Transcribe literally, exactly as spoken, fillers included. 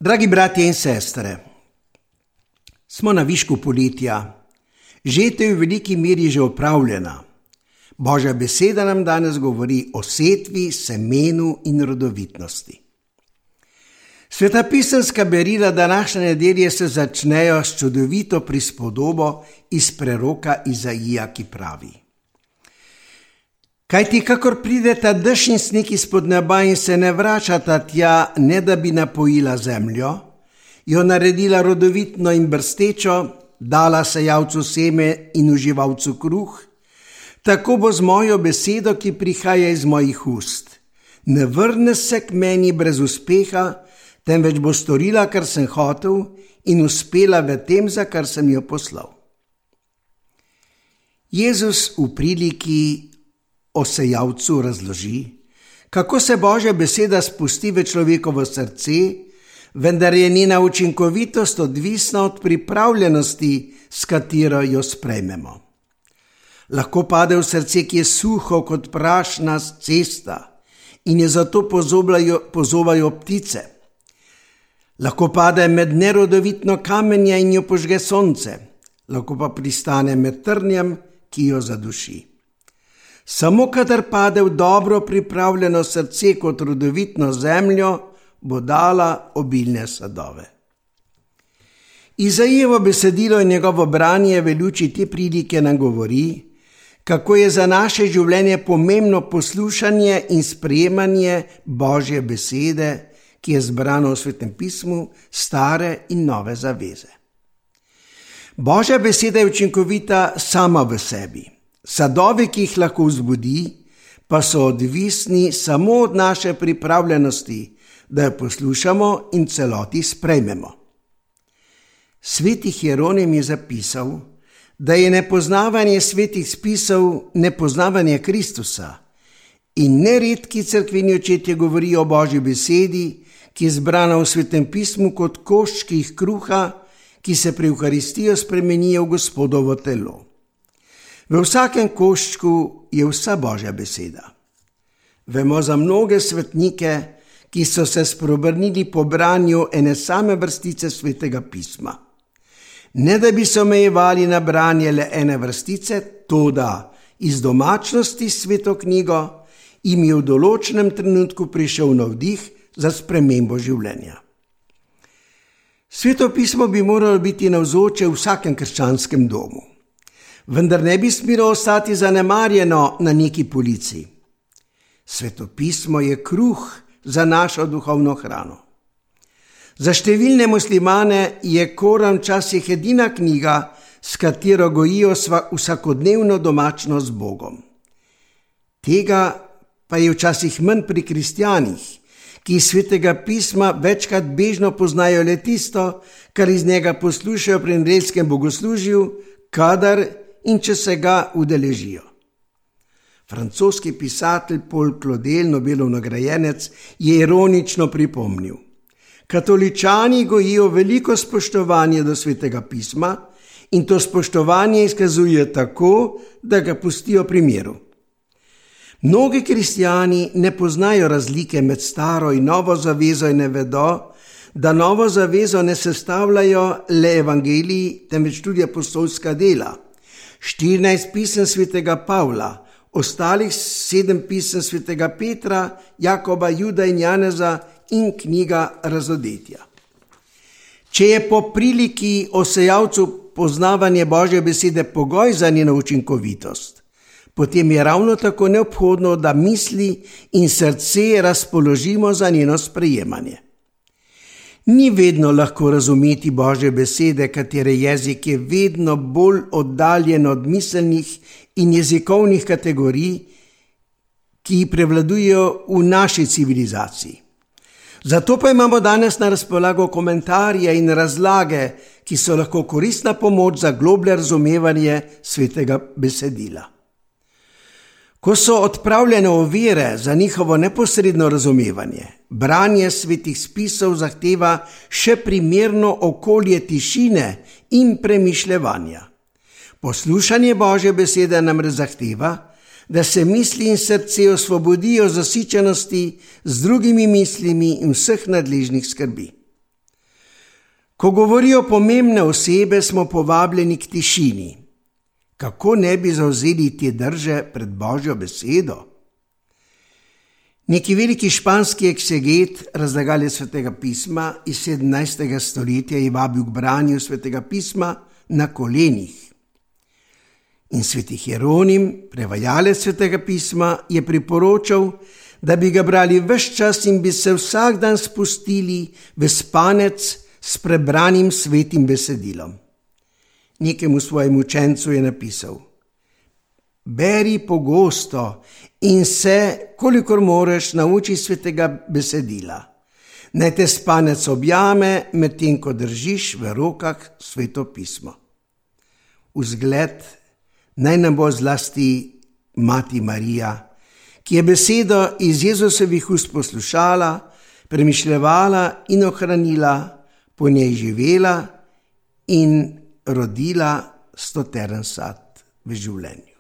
Dragi bratje in sestre, smo na višku poletja, žetev je v veliki meri že opravljena. Božja beseda nam danes govori o setvi, semenu in rodovitnosti. Svetopisemska berila današnje nedelje se začnejo s čudovito prispodobo iz preroka Izaija, ki pravi: Kajti kakor prideta dež in sneg izpod neba in se ne vračata tja, ne da bi napojila zemljo, jo naredila rodovitno in brstečo, dala sejalcu seme in uživalcu kruh, tako bo z mojo besedo, ki prihaja iz mojih ust. Ne vrne se k meni brez uspeha, temveč bo storila, kar sem hotel, in uspela v tem, za kar sem jo poslal. Jezus v priliki o sejalcu razloži, kako se Božja beseda spusti v človekovo srce, vendar je njena učinkovitost odvisna od pripravljenosti, s katero jo sprejmemo. Lahko pade v srce, ki je suho kot prašna cesta in je zato pozovajo, pozovajo ptice. Lahko pade med nerodovitno kamenje in jo požge sonce, lahko pa pristane med trnjem, ki jo zaduši. Samo kadar pade v dobro pripravljeno srce kot rodovitno zemljo, bo dala obilne sadove. Izaijevo besedilo in njegovo branje v luči te prilike nam govori, kako je za naše življenje pomembno poslušanje in sprejemanje Božje besede, ki je zbrana v Svetem pismu, stare in nove zaveze. Božja beseda je učinkovita sama v sebi. Sadovi, ki jih lahko vzbudi, pa so odvisni samo od naše pripravljenosti, da jo poslušamo in celoti sprejmemo. Sveti Hieronim je zapisal, da je nepoznavanje svetih spisov nepoznavanje Kristusa in neredki cerkveni očetje govorijo o Božji besedi, ki je zbrana v Svetem pismu kot koščkih kruha, ki se pri Evharistijo spremenijo v Gospodovo telo. V vsakem koščku je vsa Božja beseda. Vemo za mnoge svetnike, ki so se spreobrnili po branju ene same vrstice Svetega pisma. Ne da bi se omejevali na branje le ene vrstice, toda iz domačnosti s Sveto knjigo jim je v določenem trenutku prišel navdih za spremembo življenja. Sveto pismo bi moralo biti navzoče v vsakem krščanskem domu, vendar ne bi smelo ostati zanemarjeno na neki polici. Sveto pismo je kruh za našo duhovno hrano. Za številne muslimane je Koran včasih edina knjiga, s katero gojijo vsakodnevno domačnost z Bogom. Tega pa je včasih manj pri kristjanih, ki iz Svetega pisma večkrat bežno poznajo le tisto, kar iz njega poslušajo pri nedeljskem bogoslužju, kadar in če se ga udeležijo. Francoski pisatelj Paul Claudel, Nobelov nagrajenec, je ironično pripomnil: Katoličani gojijo veliko spoštovanje do Svetega pisma in to spoštovanje izkazuje tako, da ga pustijo pri miru. Mnogi kristjani ne poznajo razlike med staro in novo zavezo in ne vedo, da novo zavezo ne sestavljajo le evangeliji, temveč tudi apostolska dela. štirinajst pisem Svetega Pavla, ostalih sedem pisem Svetega Petra, Jakoba, Juda in Janeza in knjiga Razodetja. Če je po priliki o sejalcu poznavanje Božje besede pogoj za njeno učinkovitost, potem je ravno tako neobhodno, da misli in srce razpoložimo za njeno sprejemanje. Ni vedno lahko razumeti Božje besede, katere jezik je vedno bolj oddaljen od miselnih in jezikovnih kategorij, ki prevladujejo v naši civilizaciji. Zato pa imamo danes na razpolago komentarje in razlage, ki so lahko koristna pomoč za globlje razumevanje svetega besedila. Ko so odpravljene ovire za njihovo neposredno razumevanje, branje svetih spisov zahteva še primerno okolje tišine in premišljevanja. Poslušanje Božje besede namreč zahteva, da se misli in srce osvobodijo zasičenosti z drugimi mislimi in vseh nadležnih skrbi. Ko govorijo pomembne osebe, smo povabljeni k tišini. Kako ne bi zavzeli te drže pred Božjo besedo? Neki veliki španski ekseget, razlagalec Svetega pisma iz sedemnajstega stoletja, je vabil k branju Svetega pisma na kolenih. In sveti Hieronim, prevajalec Svetega pisma, je priporočal, da bi ga brali ves čas in bi se vsak dan spustili v spanec s prebranim svetim besedilom. Nekemu svojemu učencu je napisal: beri pogosto in se, kolikor moreš, nauči svetega besedila. Naj te spanec objame, medtem ko držiš v rokah Sveto pismo. Vzgled naj nam bo zlasti Mati Marija, ki je besedo iz Jezusovih ust poslušala, premišljevala in ohranila, po njej živela in rodila stoteren sad v življenju.